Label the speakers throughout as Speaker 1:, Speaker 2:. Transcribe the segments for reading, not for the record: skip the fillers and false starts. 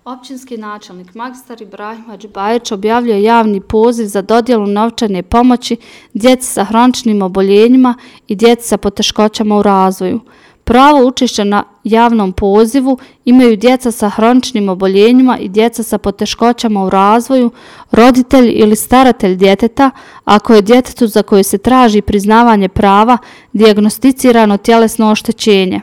Speaker 1: Općinski načelnik magistar Ibrahim Hadžibajić objavljuje javni poziv za dodjelu novčane pomoći djeci sa hroničnim oboljenjima i djeci sa poteškoćama u razvoju. Pravo učešća na javnom pozivu imaju djeca sa hroničnim oboljenjima i djeca sa poteškoćama u razvoju, roditelj ili staratelj djeteta, ako je djetetu za koje se traži priznavanje prava dijagnosticirano tjelesno oštećenje.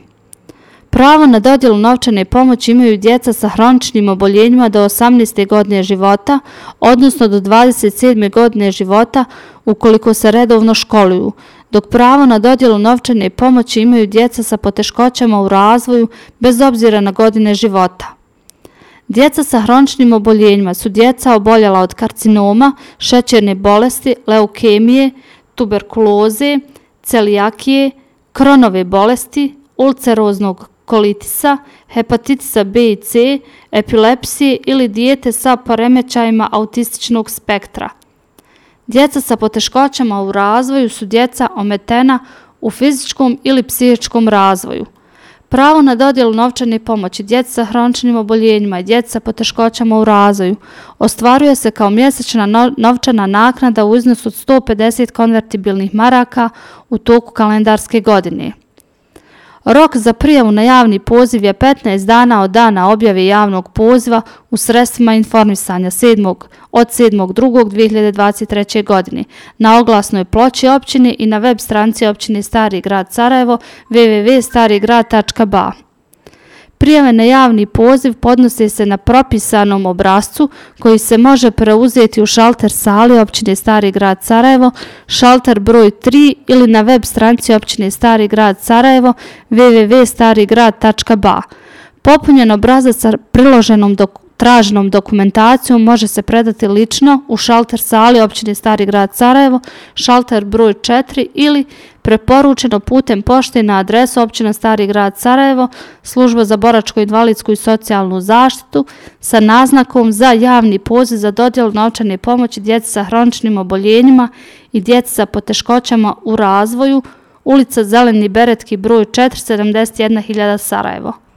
Speaker 1: Pravo na dodjelu novčane pomoći imaju djeca sa hroničnim oboljenjima do 18. godine života, odnosno do 27. godine života ukoliko se redovno školuju, dok pravo na dodjelu novčane pomoći imaju djeca sa poteškoćama u razvoju bez obzira na godine života. Djeca sa hroničnim oboljenjima su djeca oboljela od karcinoma, šećerne bolesti, leukemije, tuberkuloze, celijakije, Kronove bolesti, ulceroznog kolitisa, hepatitisa B i C, epilepsije ili dijete sa poremećajima autističnog spektra. Djeca sa poteškoćama u razvoju su djeca ometena u fizičkom ili psihičkom razvoju. Pravo na dodjelu novčane pomoći djeci sa hroničnim oboljenjima i djeci sa poteškoćama u razvoju ostvaruje se kao mjesečna novčana naknada u iznosu od 150 konvertibilnih maraka u toku kalendarske godine. Rok za prijavu na javni poziv je 15 dana od dana objave javnog poziva u sredstvima informisanja od 7.2.2023. godine na oglasnoj ploči općine i na web stranici općine Stari grad Sarajevo www.starigrad.ba. Prijave na javni poziv podnose se na propisanom obrascu koji se može preuzeti u šalter sali općine Stari grad Sarajevo, šalter broj 3 ili na web stranici općine Stari grad Sarajevo www.starigrad.ba. Popunjen obrazac sa priloženom traženom dokumentacijom može se predati lično u šalter sali općine Stari grad Sarajevo, šalter broj 4 ili preporučeno putem pošte na adresu općina Stari grad Sarajevo, služba za boračko-invalidsku i socijalnu zaštitu sa naznakom za javni poziv za dodjelu novčane pomoći djeci sa hroničnim oboljenjima i djeci sa poteškoćama u razvoju, ulica Zeleni Beretki broj 4, 71.000 Sarajevo.